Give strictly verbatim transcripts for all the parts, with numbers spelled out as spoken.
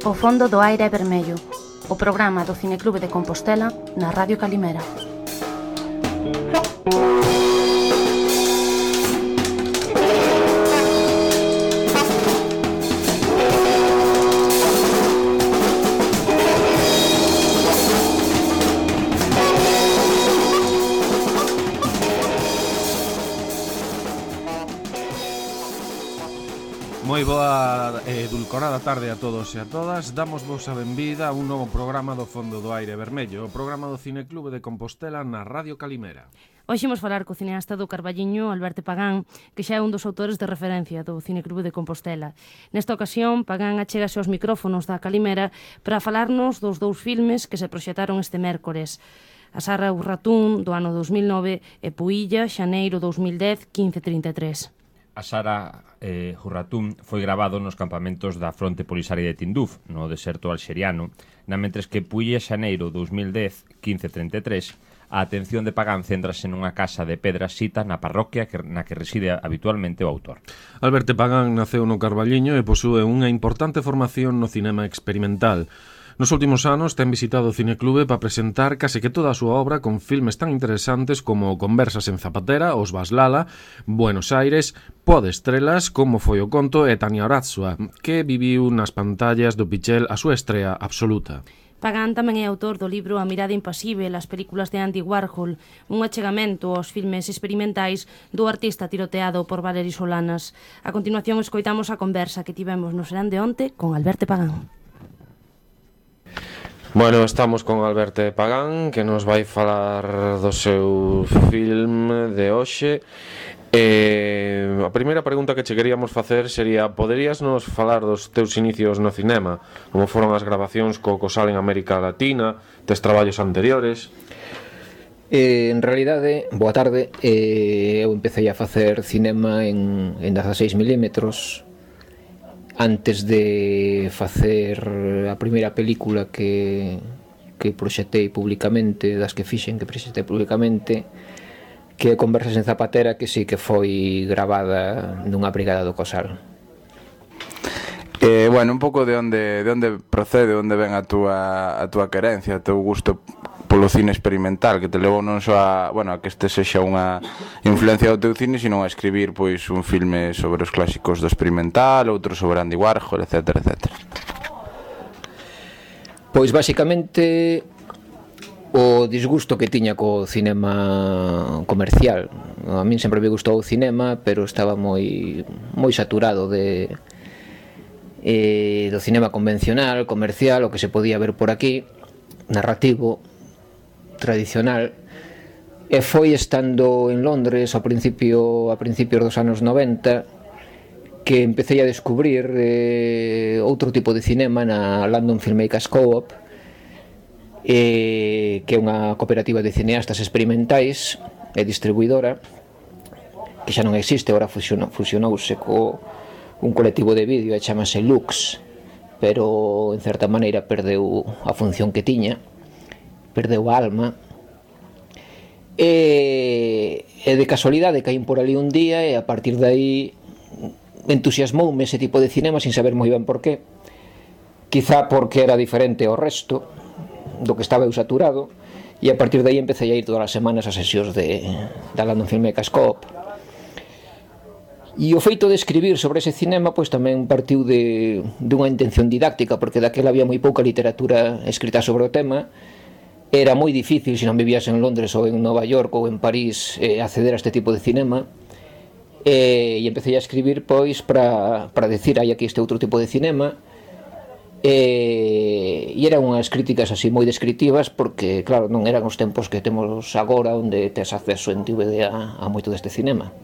O fondo do aire é vermello, o programa do Cineclube de Compostela na Radio Calimera. Moi boa e edulcorada tarde a todos e a todas. Damos vos a benvida a un novo programa do Fondo do Aire Vermello, o programa do Cineclube de Compostela na Radio Calimera. Hoxe imos falar co cineasta do Carballiño, Alberto Pagán, que xa é un dos autores de referencia do Cineclube de Compostela. Nesta ocasión, Pagán achégase aos micrófonos da Calimera para falarnos dos dous filmes que se proxectaron este mércores: A Sara Urratún, do ano dos mil nove, e Puilla, xaneiro dos mil dez, quince trinta e tres. A Sara eh, Urratún foi gravado nos campamentos da Fronte Polisaria de Tinduf, no deserto alxeriano, na mentres que Puilla xaneiro dos mil dez, quince trinta e tres, a atención de Pagán céntrase nunha casa de pedra xita na parroquia que, na que reside habitualmente o autor. Alberto Pagán naceu no Carballiño e posúe unha importante formación no cinema experimental. Nos últimos anos ten visitado o Cineclube para presentar case que toda a súa obra con filmes tan interesantes como Conversas en Zapatera, Os Baslala, Buenos Aires, Pó de Estrelas, Como foi o conto e Tania Orazua, que viviu nas pantallas do Pichel a súa estrea absoluta. Pagán tamén é autor do libro A mirada impasível, as películas de Andy Warhol, un achegamento aos filmes experimentais do artista tiroteado por Valery Solanas. A continuación escoitamos a conversa que tivemos no serán de onte con Alberto Pagán. Bueno, estamos con Alberto Pagán, que nos vai falar do seu film de hoxe. E a primeira pregunta que che queríamos facer sería: poderías nos falar dos teus inicios no cinema? Como foron as grabacións co Cosal en América Latina, tes traballos anteriores? Eh, en realidade, boa tarde, eh, eu empecé a facer cinema en, en dieciséis milímetros antes de facer a primeira película que, que proxetei publicamente, das que fixen que proxetei publicamente, que é Conversas en Zapatera, que sí que foi gravada nunha brigada do Cosal. Eh, bueno, un pouco de onde, de onde procede, onde ven a túa, a túa querencia, o teu gusto polo cine experimental, que te levou non só a, bueno, a que este sexa unha influencia do teu cine, sino a escribir pois un filme sobre os clásicos do experimental, outro sobre Andy Warhol, etcétera, etcétera. Pois basicamente o disgusto que tiña co cinema comercial. A min sempre me gustou o cinema, pero estaba moi moi saturado de eh, do cinema convencional, comercial, o que se podía ver por aquí, narrativo, tradicional. E foi estando en Londres ao principio a principios dos anos noventa que empecé a descubrir eh, outro tipo de cinema na London Filmmakers Co-op, eh, que é unha cooperativa de cineastas experimentais e distribuidora que xa non existe, agora fusionou, fusionouse co un colectivo de vídeo e chamase Lux, pero en certa maneira perdeu a función que tiña, perdeu a alma. E, e de casualidade caín por ali un día e a partir de aí entusiasmoume ese tipo de cinema sin saber moi ben por qué. Quizá porque era diferente ao resto do que estaba eu saturado, e a partir de aí empecé a ir todas as semanas a sesións de, da London Filmmakers Co-op. E o feito de escribir sobre ese cinema pois tamén partiu de, de unha intención didáctica, porque daquela había moi pouca literatura escrita sobre o tema. Era moi difícil, se non vivías en Londres ou en Nova York ou en París, eh, acceder a este tipo de cinema. E, e empecé a escribir pois para, para decir hai aquí este outro tipo de cinema. E, e eran unhas críticas así moi descriptivas, porque claro, non eran os tempos que temos agora onde tes acceso en D V D a, a moito deste cinema.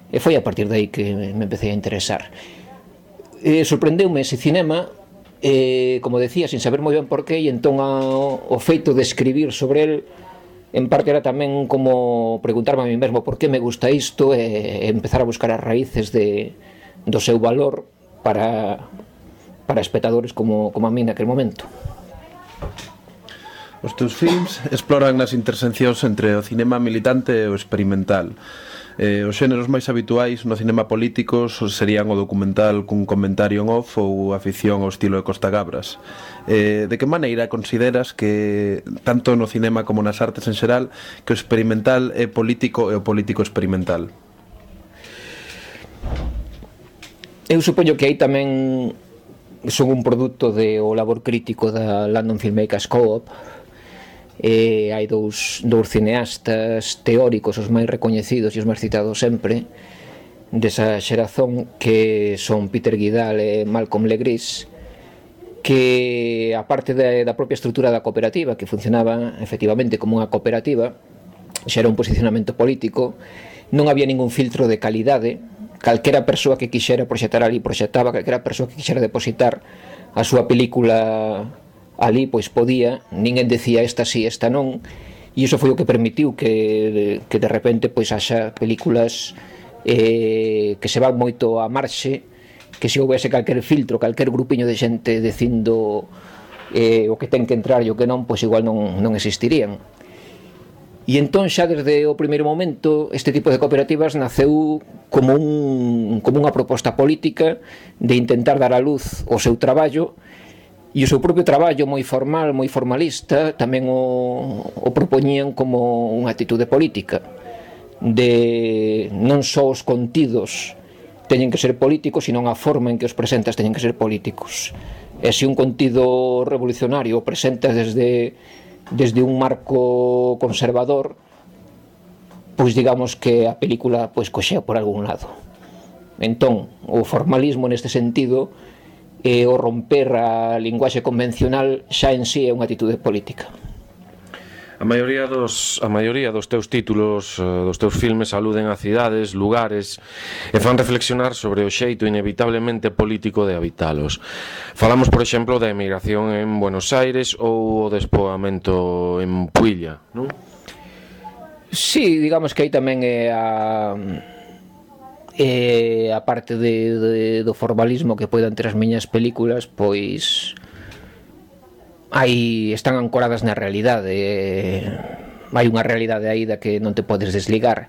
E foi a partir de aí que me empecé a interesar. E sorprendeume ese cinema, eh, como decía, sin saber moi ben por qué, e entón a, o feito de escribir sobre el en parte era tamén como preguntarme a mí mesmo por que me gusta isto e, e empezar a buscar as raíces de, do seu valor para, para espectadores como, como a mí naquele momento. Os teus films exploran as interseccións entre o cinema militante e o experimental. Eh, os xéneros máis habituais no cinema político serían o documental cun comentario en off ou a ficción ao estilo de Costa Gabras. Eh, de que maneira consideras que, tanto no cinema como nas artes en xeral, que o experimental é político e o político experimental? Eu supoño que aí tamén son un produto de o labor crítico da London Filmmakers Co-op. E hai dous, dous cineastas teóricos, os máis recoñecidos e os máis citados sempre desa xerazón, que son Peter Guidal e Malcolm Legris, que a parte da, da propia estrutura da cooperativa, que funcionaba efectivamente como unha cooperativa, xa era un posicionamento político, non había ningún filtro de calidade. Calquera persoa que quixera proxectar ali proxectaba, calquera persoa que quixera depositar a súa película ali, pois podía, ninguén decía esta sí, esta non, e iso foi o que permitiu que, que de repente pois haxa películas eh, que se van moito a marxe, que se houvese calquer filtro, calquer grupiño de xente dicindo eh, o que ten que entrar e o que non, pois igual non, non existirían. E entón xa desde o primeiro momento este tipo de cooperativas naceu como, un, como unha proposta política de intentar dar a luz o seu traballo. E o seu propio traballo moi formal, moi formalista, tamén o, o propoñían como unha actitude política, de non só os contidos teñen que ser políticos, sino a forma en que os presentas teñen que ser políticos. E se un contido revolucionario o presentas desde, desde un marco conservador, pois digamos que a película pois coxea por algún lado. Entón, o formalismo neste sentido e o romper a linguaxe convencional xa en sí é unha actitude política. A maioría dos, a maioría dos teus títulos, dos teus filmes, aluden a cidades, lugares e fan reflexionar sobre o xeito inevitablemente político de habitalos. Falamos, por exemplo, da emigración en Buenos Aires ou o despoamento en Puilla, non? Sí, digamos que aí tamén é a... E a parte de, de, do formalismo que poidan ter as miñas películas, pois aí están ancoradas na realidade. Hai unha realidade aí da que non te podes desligar.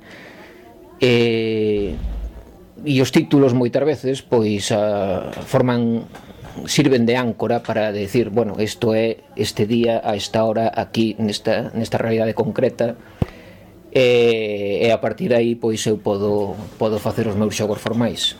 E, e os títulos moitas veces pois a, forman sirven de áncora para decir, bueno, isto é este día a esta hora aquí nesta, nesta realidade concreta. E, e a partir de aí pois eu podo, podo facer os meus xogos formais.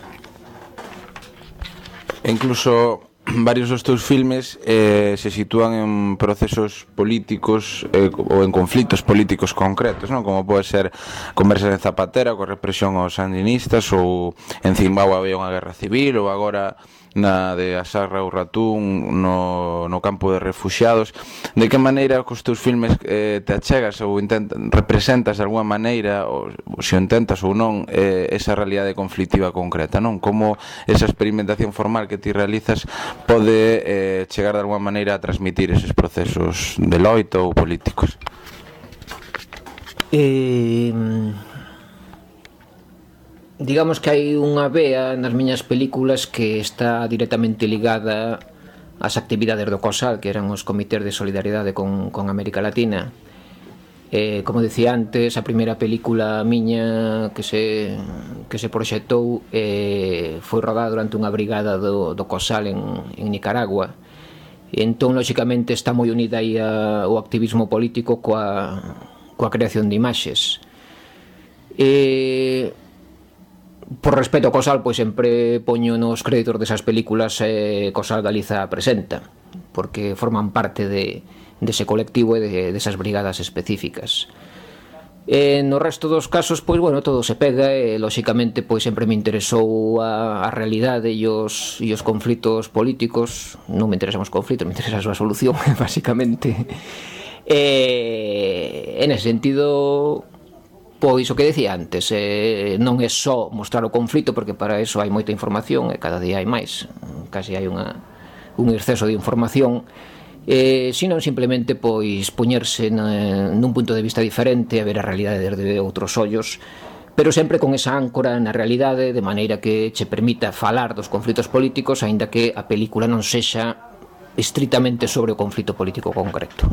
Incluso varios dos teus filmes eh, se sitúan en procesos políticos eh, ou en conflitos políticos concretos, non? Como pode ser Conversas en Zapatera coa represión aos sandinistas, ou en Zimbabue había unha guerra civil, ou agora na de Asarra ou Ratún no, no campo de refuxiados. De que maneira cos teus filmes eh, te achegas ou intentas, representas de alguma maneira, ou, ou se o intentas ou non, eh, esa realidade conflictiva concreta, non? Como esa experimentación formal que ti realizas pode eh, chegar de alguma maneira a transmitir eses procesos de loito ou políticos? Eh... Digamos que hai unha vea nas miñas películas que está directamente ligada ás actividades do COSAL, que eran os comités de solidariedade con, con América Latina. Eh, como decía antes, a primeira película miña que se, que se proxectou eh, foi rodada durante unha brigada do, do COSAL en, en Nicaragua. E entón, lóxicamente, está moi unida aí a, o activismo político coa, coa creación de imaxes. E... Por respeto ao COSAL, pois sempre poño nos créditos desas películas eh, COSAL Galiza presenta, porque forman parte de, dese colectivo e de, desas brigadas específicas. E no resto dos casos, pois, bueno, todo se pega e, lóxicamente, pois sempre me interesou a, a realidade e os, e os conflitos políticos. Non me interesan os conflitos, me interesa a súa solución, basicamente. E, en ese sentido... Pois o que decía antes, eh, non é só mostrar o conflito, porque para eso hai moita información e cada día hai máis, casi hai unha, un exceso de información, eh, sino simplemente pois poñerse na, nun punto de vista diferente, a ver a realidade desde outros ollos, pero sempre con esa áncora na realidade, de maneira que che permita falar dos conflitos políticos, aínda que a película non sexa estritamente sobre o conflito político concreto.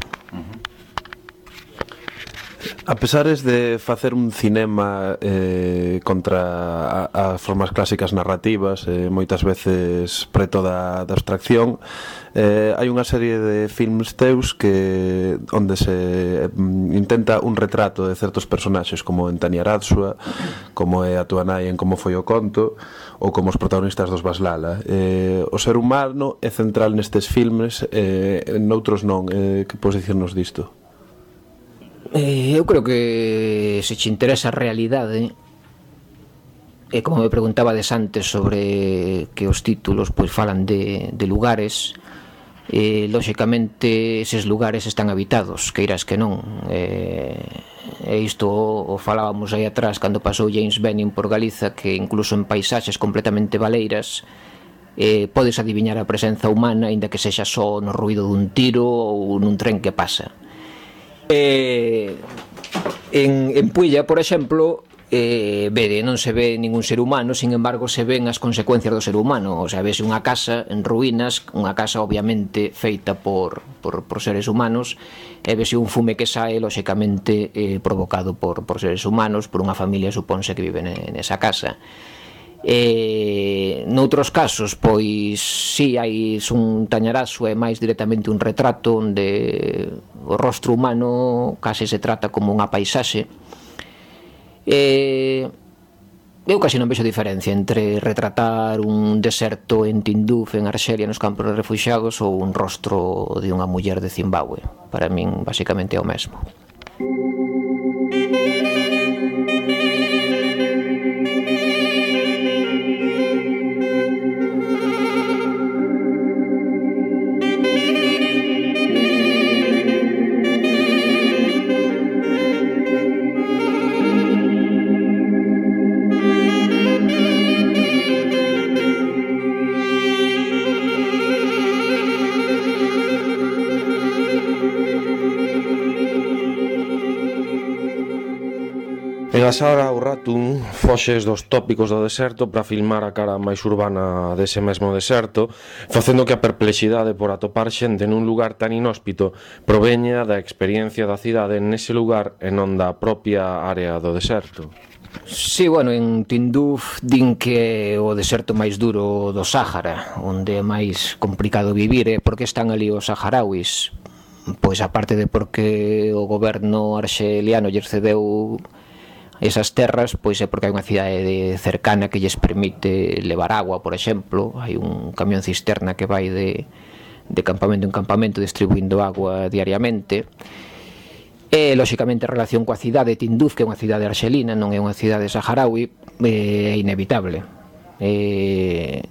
A pesares de facer un cinema eh, contra a, as formas clásicas narrativas, eh, moitas veces preto da, da abstracción, eh, hai unha serie de filmes teus que onde se mm, intenta un retrato de certos personaxes, como en Tania Aradzua, como é a túa nai en Como foi o conto, ou como os protagonistas dos Baslala. Eh, o ser humano é central nestes filmes, eh, noutros non. Eh, que podes dicirnos disto? Eh, eu creo que se te interesa a realidade, e como me preguntabades antes sobre que os títulos pois falan de, de lugares, eh, lóxicamente eses lugares están habitados, queiras que non. Eh, e isto o falábamos aí atrás cando pasou James Benning por Galiza, que incluso en paisaxes completamente baleiras eh, podes adiviñar a presenza humana, aínda que sexa só no ruído dun tiro ou nun tren que pasa. Eh, en, en Puilla, por exemplo, eh, vede, non se ve ningún ser humano, sin embargo se ven as consecuencias do ser humano. O sea, vese unha casa en ruínas, unha casa obviamente feita por, por, por seres humanos, e vese un fume que sae, lóxicamente eh, provocado por, por seres humanos, por unha familia, supónse, que vive nesa casa. Eh, noutros casos, pois si hai un Tañarazo, é máis directamente un retrato onde o rostro humano case se trata como unha paisaxe. Eh, eu casi non vexo diferencia entre retratar un deserto en Tinduf, en Arxelia, nos campos de refuxiados, ou un rostro de unha muller de Zimbabue. Para min, basicamente, é o mesmo. En a saga O Ratun foxes dos tópicos do deserto para filmar a cara máis urbana dese mesmo deserto, facendo que a perplexidade por atopar xente nun lugar tan inhóspito proveña da experiencia da cidade nese lugar e non da propia área do deserto. Sí, bueno, en Tinduf din que é o deserto máis duro do Sáhara, onde é máis complicado vivir, e porque están ali os saharauis? Pois aparte de porque o goberno arxeliano lles cedeu esas terras, pois é porque hai unha cidade cercana que lles permite levar agua, por exemplo. Hai un camión cisterna que vai de, de campamento en campamento distribuindo agua diariamente. E, lóxicamente, a relación coa cidade de Tinduf, que é unha cidade arxelina, non é unha cidade saharaui, é inevitable. E,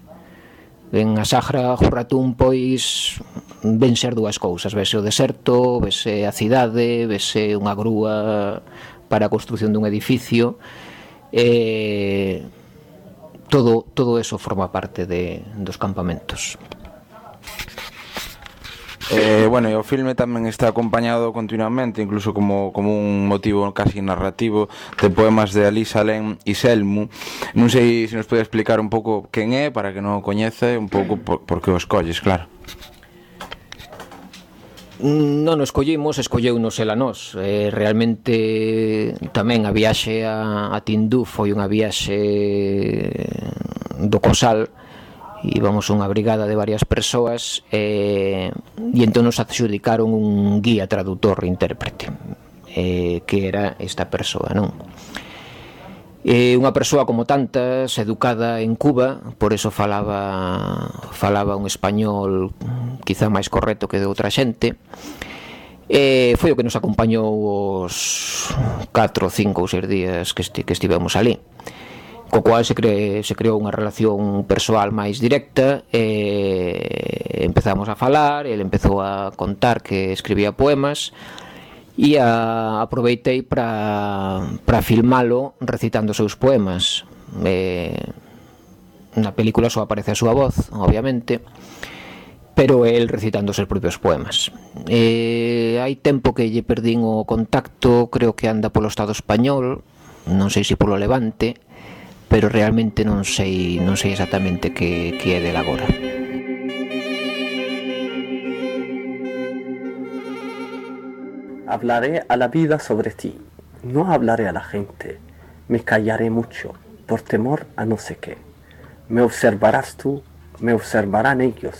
en a Sagra Jurratún, pois, ven ser dúas cousas. Vese o deserto, vese a cidade, vese unha grúa para a construción dun edificio, e todo, todo eso forma parte de, dos campamentos. Eh, bueno, e o filme tamén está acompañado continuamente, incluso como, como un motivo casi narrativo, de poemas de Alí Salem e Selmu. Non sei se nos pode explicar un pouco quen é, para que non o coñece, un pouco por, por que o escolles, claro. Non o escollimos, escolleunos el a nós. Eh, realmente tamén a viaxe a, a Tinduf foi unha viaxe do Cosal. Íbamos unha brigada de varias persoas, eh, e entón nos adxudicaron un guía tradutor e intérprete, eh, que era esta persoa, non? Eh, unha persoa como tantas, educada en Cuba, por eso falaba falaba un español quizá máis correcto que de outra xente. Eh, foi o que nos acompañou os catro, cinco ou seis días que, esti, que estivemos ali, co cual se, cre, se creou unha relación persoal máis directa. E empezamos a falar, ele empezou a contar que escribía poemas, e a, aproveitei para para filmalo recitando os seus poemas. Eh, na película só aparece a súa voz, obviamente, pero el recitando os seus propios poemas. Eh, hai tempo que lle perdín o contacto, creo que anda polo Estado español, non sei se polo Levante, pero realmente non sei non sei exactamente que, que é del agora. Hablaré a la vida sobre ti. no hablaré a la gente, me callaré mucho, por temor a no sé qué. Me observarás tú, me observarán ellos,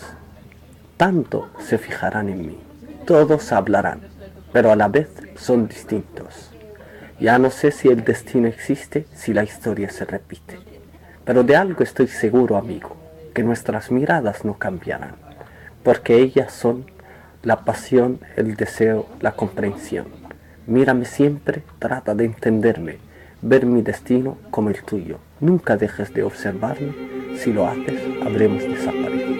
tanto se fijarán en mí. Todos hablarán, pero a la vez son distintos. Ya no sé si el destino existe, si la historia se repite. Pero de algo estoy seguro, amigo, que nuestras miradas no cambiarán, porque ellas son la pasión, el deseo, la comprensión. Mírame siempre, trata de entenderme, ver mi destino como el tuyo. Nunca dejes de observarme, si lo haces, habremos desaparecido.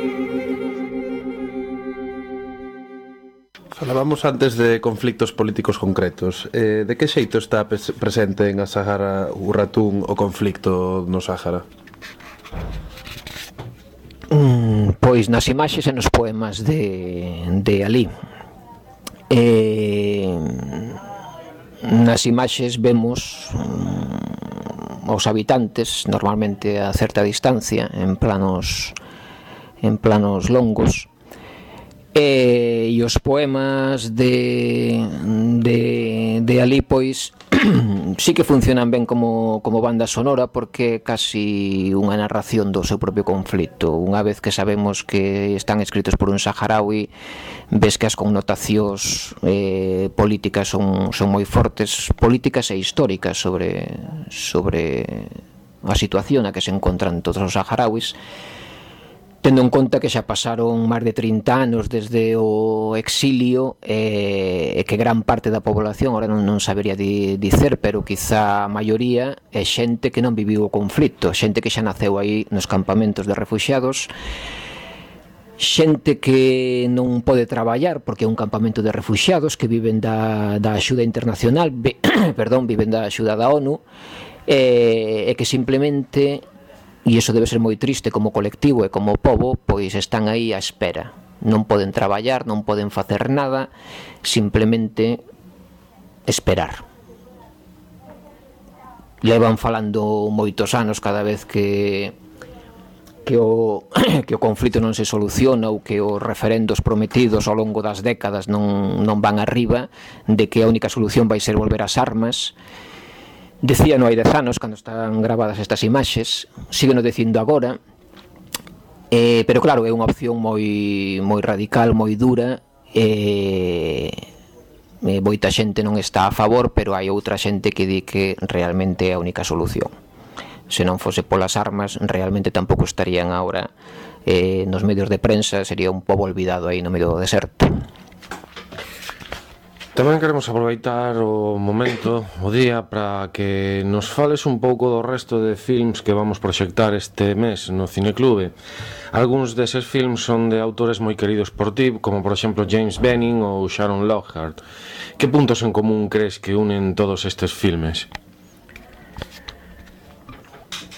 Falábamos antes de conflictos políticos concretos. Eh, de que xeito está presente en a Sahara Urratún o conflicto no Sáhara? Mm, pois nas imaxes e nos poemas de, de Alí. Eh, nas imaxes vemos mm, os habitantes normalmente a certa distancia en planos en planos longos. E, e os poemas de, de, de Alí, pois, sí que funcionan ben como, como banda sonora, porque é casi unha narración do seu propio conflito. Unha vez que sabemos que están escritos por un saharaui, ves que as connotacións eh, políticas son, son moi fortes, políticas e históricas sobre, sobre a situación na que se encontran todos os saharauis, tendo en conta que xa pasaron máis de trinta anos desde o exilio e, e que gran parte da población, ahora non, non sabería di, dicer, pero quizá a maioría é xente que non viviu o conflito, xente que xa naceu aí nos campamentos de refuxiados, xente que non pode traballar porque é un campamento de refuxiados, que viven da, da axuda internacional, vi, perdón, viven da axuda da ONU, e, e que simplemente, e iso debe ser moi triste como colectivo e como pobo, pois están aí á espera. Non poden traballar, non poden facer nada, simplemente esperar. Levan falando moitos anos cada vez que que o, que o conflito non se soluciona ou que os referendos prometidos ao longo das décadas non, non van arriba, de que a única solución vai ser volver ás armas. Decíano hai dez anos, cando están gravadas estas imaxes, sígueno dicindo agora, eh, pero claro, é unha opción moi, moi radical, moi dura, e eh, moita xente non está a favor, pero hai outra xente que di que realmente é a única solución. Se non fose polas armas, realmente tampouco estarían agora eh, nos medios de prensa, sería un pobo olvidado aí no medio do deserto. Tamén queremos aproveitar o momento, o día, para que nos fales un pouco do resto de films que vamos proxectar este mes no Cineclube. Algúns deses films son de autores moi queridos por ti, como por exemplo James Benning ou Sharon Lockhart. Que puntos en común crees que unen todos estes filmes?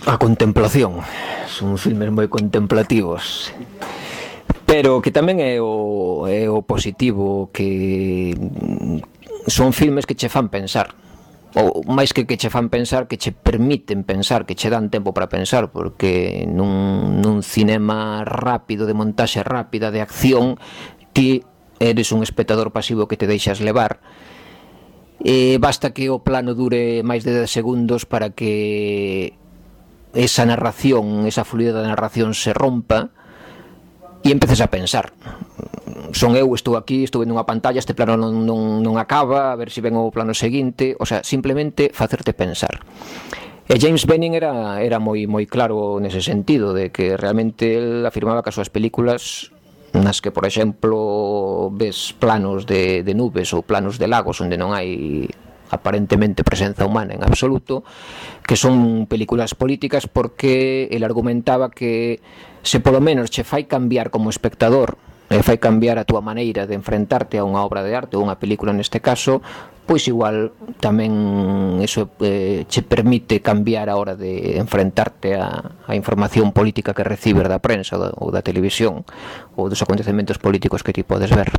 A contemplación. Son filmes moi contemplativos, pero que tamén é o, é o positivo, que son filmes que che fan pensar, ou máis que que che fan pensar, que che permiten pensar, que che dan tempo para pensar, porque nun, nun cinema rápido, de montaxe rápida, de acción, ti eres un espectador pasivo que te deixas levar, e basta que o plano dure máis de dez segundos para que esa narración, esa fluidez da narración se rompa e empeces a pensar. Son eu, estou aquí, estou vendo unha pantalla, este plano non, non, non acaba, a ver se ven o plano seguinte, o sea, simplemente facerte pensar. E James Benning era, era moi, moi claro nese sentido, de que realmente el afirmaba que as súas películas, nas que, por exemplo, ves planos de, de nubes ou planos de lagos onde non hai aparentemente presenza humana en absoluto, que son películas políticas, porque el argumentaba que se polo menos che fai cambiar como espectador, e fai cambiar a túa maneira de enfrentarte a unha obra de arte ou unha película neste caso, pois igual tamén eso eh, che permite cambiar a hora de enfrentarte a, a información política que recibes da prensa ou da, ou da televisión ou dos acontecementos políticos que ti podes ver.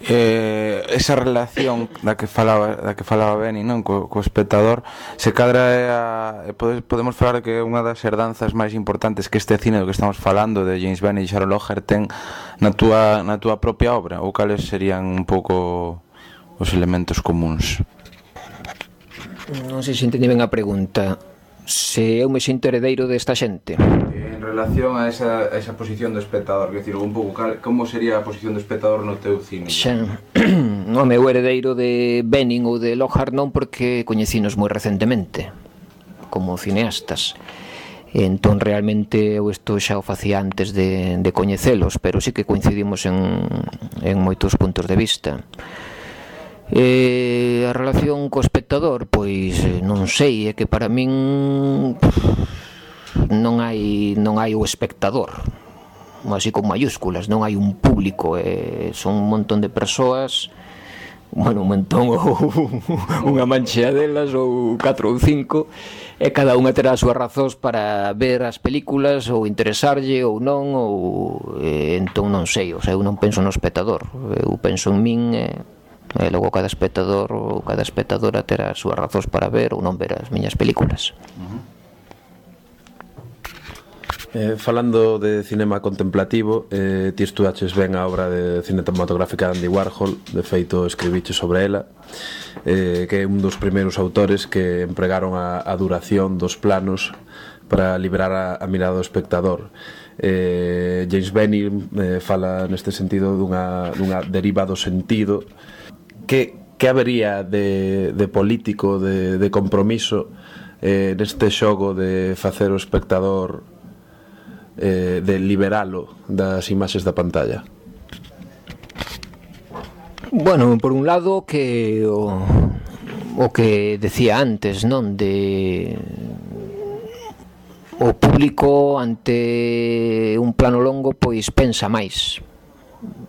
Eh, esa relación da que falaba da que falaba Benny, non, co, co espectador, se cadra é a, podemos falar que é unha das herdanzas máis importantes que este cine do que estamos falando de James Benny e Sharon Lockhart ten na túa, na túa propia obra, ou cales serían un pouco os elementos comuns? Non sei se entendi ben a pregunta. Se eu me sinto heredeiro desta xente. En relación a esa, a esa posición do espectador, quer dizer, un pouco, cal, como sería a posición do espectador no teu cine? Xa, o meu heredeiro de Benning ou de Lockhart non, porque coñecinos moi recentemente como cineastas. Entón realmente eu isto xa o facía antes de, de coñecelos, pero sí que coincidimos en, en moitos puntos de vista. E a relación co espectador, pois non sei, é que para min non hai non hai o espectador, así con mayúsculas, non hai un público, eh, son un montón de persoas, bueno, un montón ou unha manchea delas ou catro ou cinco, e cada unha terá as súas razóns para ver as películas ou interesarlle ou non, ou eh, entón non sei, o sea, eu non penso no espectador, eu penso en min, e eh, logo cada espectador ou cada espectadora terá as súas razóns para ver ou non ver as miñas películas. Uh-huh. Eh, falando de cinema contemplativo, eh, ti estudaches ben a obra de cinematográfica de Andy Warhol, de feito escribiche sobre ela, eh, que é un dos primeiros autores que empregaron a, a duración dos planos para liberar a, a mirada do espectador. eh, James Benning eh, fala neste sentido dunha, dunha deriva do sentido. Que, que habería de, de político, de, de compromiso eh, neste xogo de facer o espectador, eh, de liberalo das imaxes da pantalla? Bueno, por un lado que o, o que decía antes, non? De o público ante un plano longo pois pensa máis,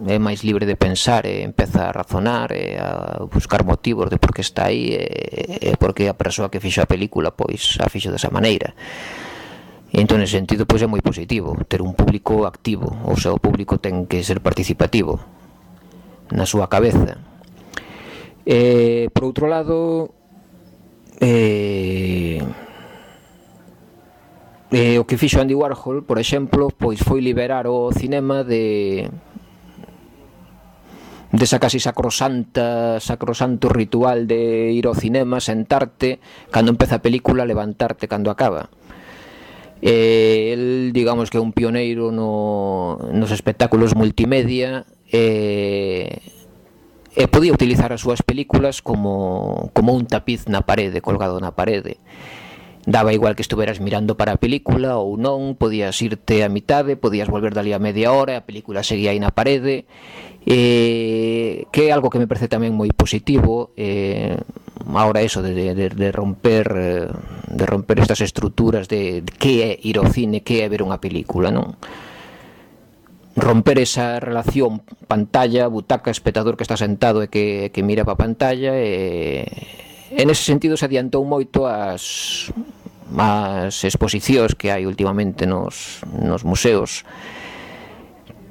é máis libre de pensar, e empeza a razonar e a buscar motivos de por que está aí e, e por que a persoa que fixo a película pois a fixo desa maneira. E entón, nese sentido, pois é moi positivo ter un público activo, ou sea, o público ten que ser participativo na súa cabeza. E, por outro lado, eh, eh, o que fixo Andy Warhol, por exemplo, pois foi liberar o cinema de desa casi sacrosanta sacrosanto ritual de ir ao cinema, sentarte cando empeza a película, levantarte cando acaba. Eh, el, digamos que é un pioneiro no, nos espectáculos multimedia, e, e podía utilizar as súas películas como, como un tapiz na parede, colgado na parede. Daba igual que estuveras mirando para a película ou non, podías irte a mitade, podías volver dali a media hora, a película seguía aí na parede, eh, que é algo que me parece tamén moi positivo. eh, ahora eso de, de, de romper de romper estas estruturas de, de que é ir ao cine, que é ver unha película, non? Romper esa relación pantalla, butaca, espectador que está sentado e que, que mira para a pantalla, e en ese sentido se adiantou moito as as exposicións que hai últimamente nos, nos museos,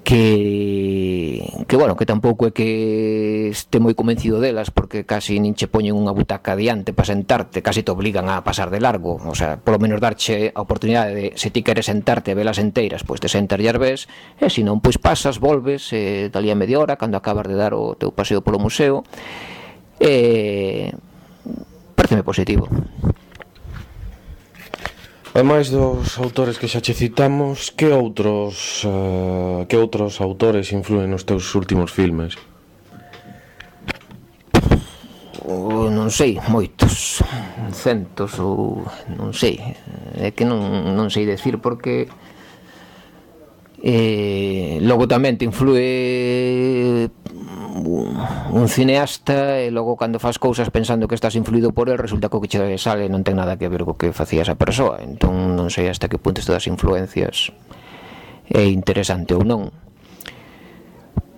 que, que bueno, que tampouco é que este moi convencido delas, porque casi nin che poñen unha butaca adiante para sentarte, casi te obligan a pasar de largo, o sea, polo menos darche a oportunidade de, se ti queres sentarte e velas enteiras, pois te sentas e as ves, e se non, pois pasas, volves, eh, dali a media hora, cando acabas de dar o teu paseo polo museo. E pareceme positivo. Ademais dos autores que xa che citamos, que outros uh, que outros autores influen nos teus últimos filmes? O, non sei, moitos, centos ou non sei, é que non, non sei decir, porque eh, logo tamén te influe un cineasta, e logo cando faz cousas pensando que estás influído por el, resulta que o que che sale non ten nada que ver co que facía esa persoa. Entón non sei hasta que punto isto das influencias é interesante ou non,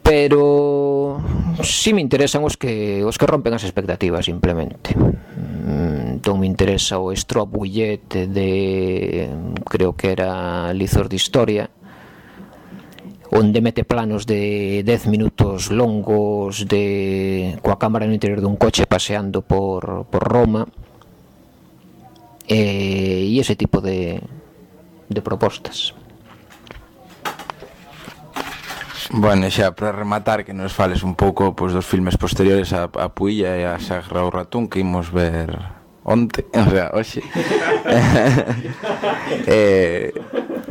pero si me interesan os que os que rompen as expectativas, simplemente. Entón me interesa o Strobe Bullet de, creo que era Lizos de Historia, onde mete planos de dez minutos longos de coa cámara no interior dun coche paseando por, por Roma, e, e ese tipo de, de propostas. Bueno, xa, para rematar, que nos fales un pouco pois, dos filmes posteriores a, a Puilla e a Sagra o Ratón que imos ver onte, o sea, hoxe. eh,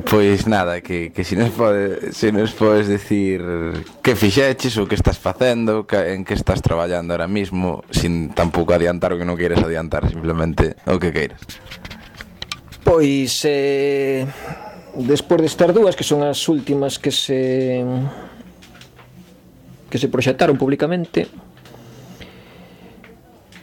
pois nada, que, que si nos pode, si nos podes decir que fixeches ou que estás facendo, que, en que estás traballando ahora mismo, sin tampouco adiantar o que non queiras adiantar, simplemente o que queiras. Pois eh, despois destas dúas, que son as últimas que se que se proxectaron públicamente,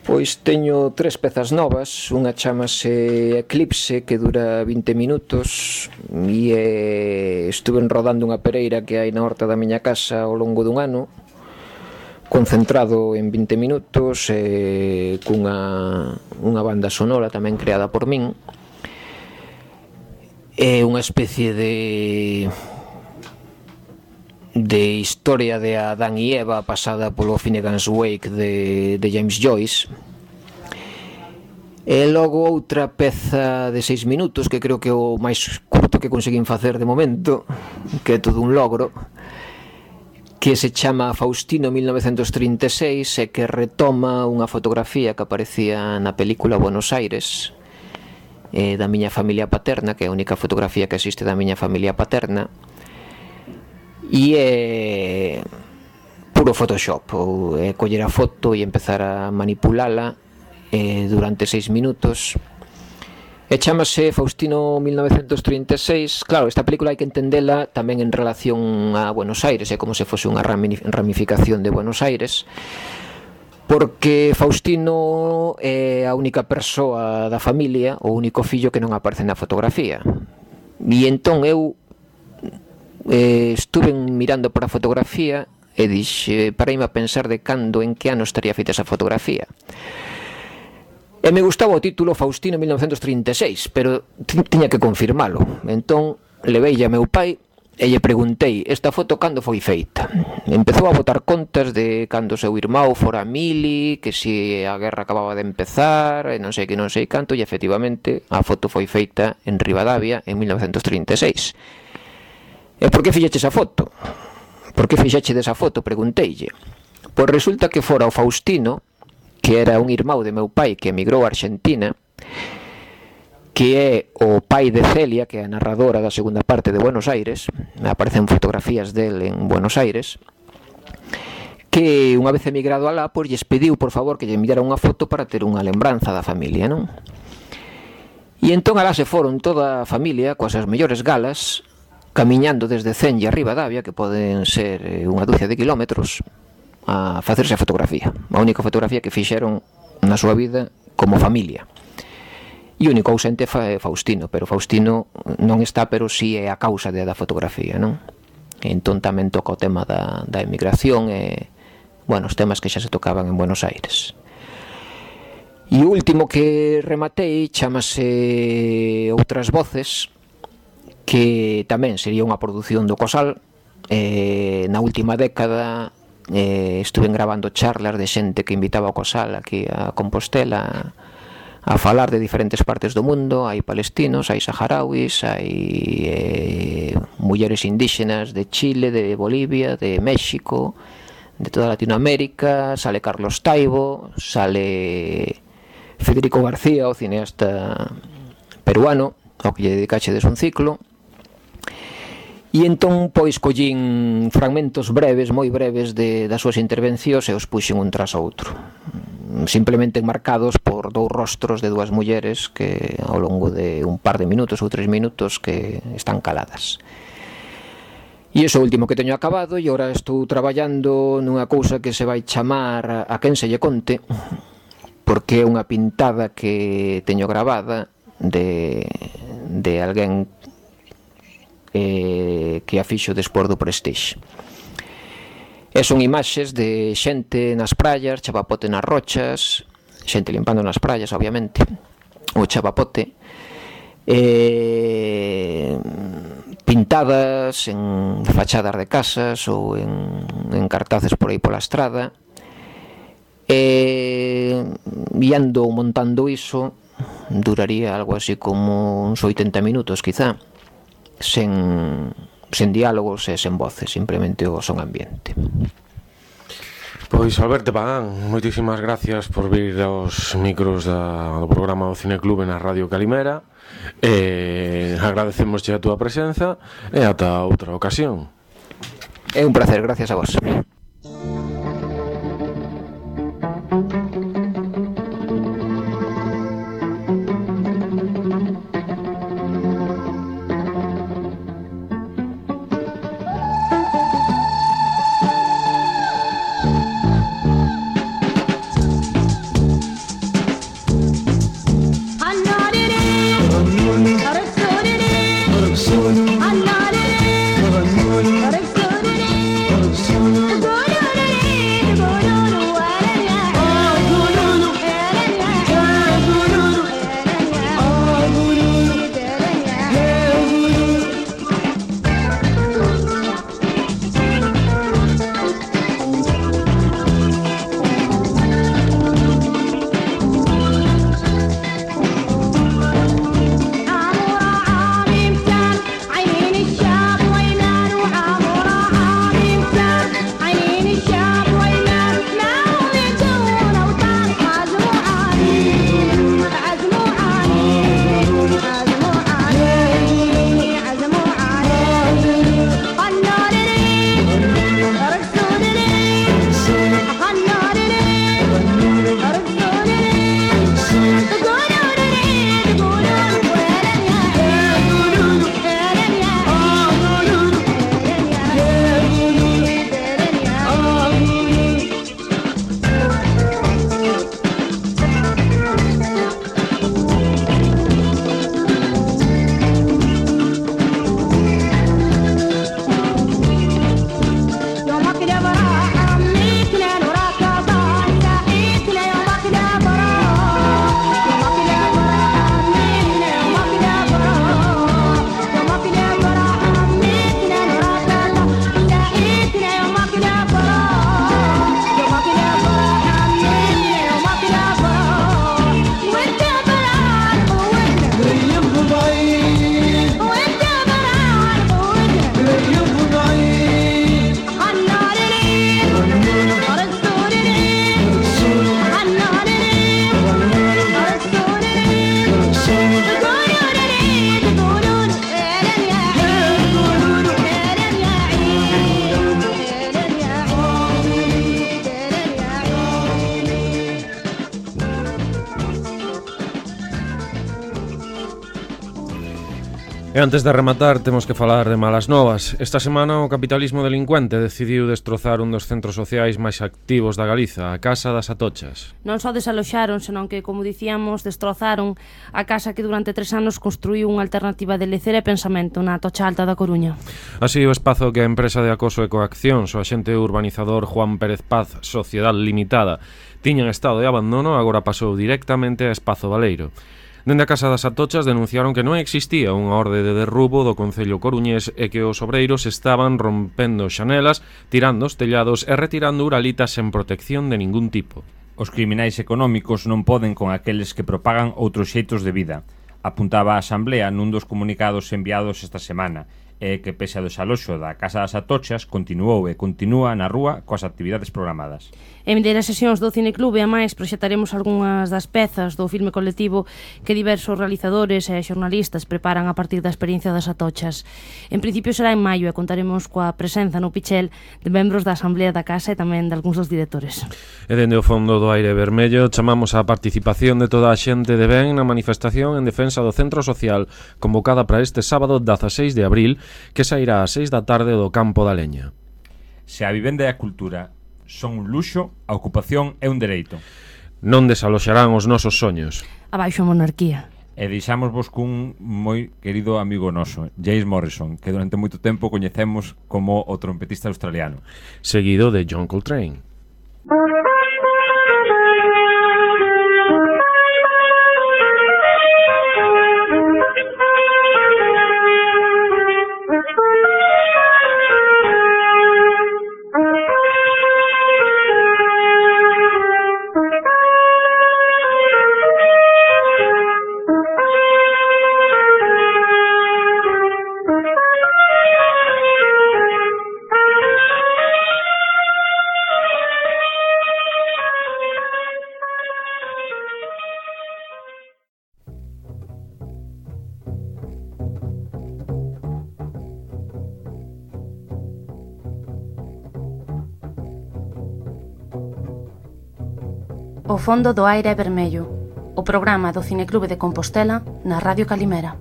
pois teño tres pezas novas. Unha chamase Eclipse, que dura vinte minutos, e eh, estuve rodando unha pereira que hai na horta da miña casa ao longo dun ano, concentrado en vinte minutos, eh, cunha unha banda sonora tamén creada por min. É unha especie de de historia de Adán e Eva pasada polo Finnegan's Wake de, de James Joyce. E logo outra peza de seis minutos, que creo que é o máis curto que conseguín facer de momento, que é todo un logro, que se chama Faustino mil novecentos trinta e seis, e que retoma unha fotografía que aparecía na película Buenos Aires, eh, da miña familia paterna, que é a única fotografía que existe da miña familia paterna, e é puro Photoshop, ou é coller a foto e empezar a manipulala eh, durante seis minutos. E chamase Faustino mil novecentos trinta e seis. Claro, esta película hai que entendela tamén en relación a Buenos Aires, é como se fose unha ramificación de Buenos Aires, porque Faustino é a única persoa da familia, o único fillo que non aparece na fotografía. E entón eu eh, estuve mirando para a fotografía e dixe, paraime a pensar de cando, en que ano estaría feita esa fotografía. E me gustaba o título Faustino mil novecentos trinta e seis, pero tiña que confirmalo. Entón leveille a meu pai e lle preguntei, esta foto cando foi feita? Empezou a botar contas de cando seu irmão fora a mili, que se a guerra acababa de empezar, e non sei que non sei canto, e efectivamente a foto foi feita en Ribadavia en mil novecentos trinta e seis. E por que fixeche esa foto? Por que fixeche desa foto? Pregunteille. Pois resulta que fora o Faustino, que era un irmão de meu pai que emigrou a Argentina, que é o pai de Celia, que é a narradora da segunda parte de Buenos Aires, aparecen fotografías del en Buenos Aires, que unha vez emigrado alá, pois lles pediu, por favor, que lle enviara unha foto para ter unha lembranza da familia, non? E entón alá se foron toda a familia, coas as mellores galas, camiñando desde Cenlle a Ribadavia, que poden ser unha dúcia de kilómetros, a facerse a fotografía, a única fotografía que fixeron na súa vida como familia. E o único ausente é Faustino, pero Faustino non está, pero si é a causa da fotografía, non? Entón tamén toca o tema da, da emigración e, bueno, os temas que xa se tocaban en Buenos Aires. E o último que rematei chamase Outras Voces, que tamén sería unha produción do Cosal. Eh, na última década eh, estuve grabando charlas de xente que invitaba ao Cosal aquí a Compostela a falar de diferentes partes do mundo. Hai palestinos, hai saharauis, hai eh, mulleres indígenas de Chile, de Bolivia, de México, de toda Latinoamérica. Sale Carlos Taibo, sale Federico García, o cineasta peruano, ao que lle dedicachedes un ciclo. E entón, pois, collín fragmentos breves, moi breves de, das súas intervencións e os puxen un tras outro, simplemente marcados por dous rostros de dúas mulleres que ao longo de un par de minutos ou tres minutos que están caladas. E iso último que teño acabado, e agora estou traballando nunha cousa que se vai chamar A quen se lle conte, porque é unha pintada que teño gravada de, de alguén Eh, que a fixo despois do Prestige. E son imaxes de xente nas praias, chapapote nas rochas, xente limpando nas praias, obviamente, o chapapote, eh, pintadas en fachadas de casas ou en, en cartaces por aí pola estrada, e ando montando iso, duraría algo así como uns oitenta minutos, quizá, sen, sen diálogos e sen voces, simplemente o son ambiente. Pois Alberto Pagán, moitísimas gracias por vir aos micros da, do programa do Cineclube na Radio Calimera. E agradecemos a túa presenza e ata outra ocasión. É un placer, gracias a vos. E antes de rematar, temos que falar de malas novas. Esta semana o capitalismo delincuente decidiu destrozar un dos centros sociais máis activos da Galiza, a Casa das Atochas. Non só desaloxaron, senón que, como dicíamos, destrozaron a casa que durante tres anos construiu unha alternativa de lecer e pensamento na Atocha Alta da Coruña. Así, o espazo que a empresa de acoso e coacción, o axente urbanizador Juan Pérez Paz, Sociedade Limitada, tiña en estado de abandono, agora pasou directamente a Espazo Baleiro. Dende a Casa das Atochas denunciaron que non existía unha orde de derrubo do Concello coruñés e que os obreiros estaban rompendo xanelas, tirando os tellados e retirando uralitas sen protección de ningún tipo. Os criminais económicos non poden con aqueles que propagan outros xeitos de vida, apuntaba a Asamblea nun dos comunicados enviados esta semana, e que pese ao desaloxo da Casa das Atochas continuou e continúa na rúa coas actividades programadas. En vindeiras sesións do Cineclube, a máis, proxectaremos algunhas das pezas do filme colectivo que diversos realizadores e xornalistas preparan a partir da experiencia das Atochas. En principio será en maio e contaremos coa presenza no Pichel de membros da Asamblea da Casa e tamén de algúns dos directores. E dende o fondo do aire vermello chamamos a participación de toda a xente de ben na manifestación en defensa do centro social convocada para este sábado dezaseis de abril, que sairá ás seis da tarde do Campo da Leña. Se a vivenda e a cultura son un luxo, a ocupación é un dereito. Non desaloxarán os nosos soños. Abaixo a monarquía. E deixámosvos cun moi querido amigo noso, James Morrison, que durante moito tempo coñecemos como o trompetista australiano. Seguido de John Coltrane. O fondo do aire é vermello, o programa do Cineclube de Compostela na Radio Calimera.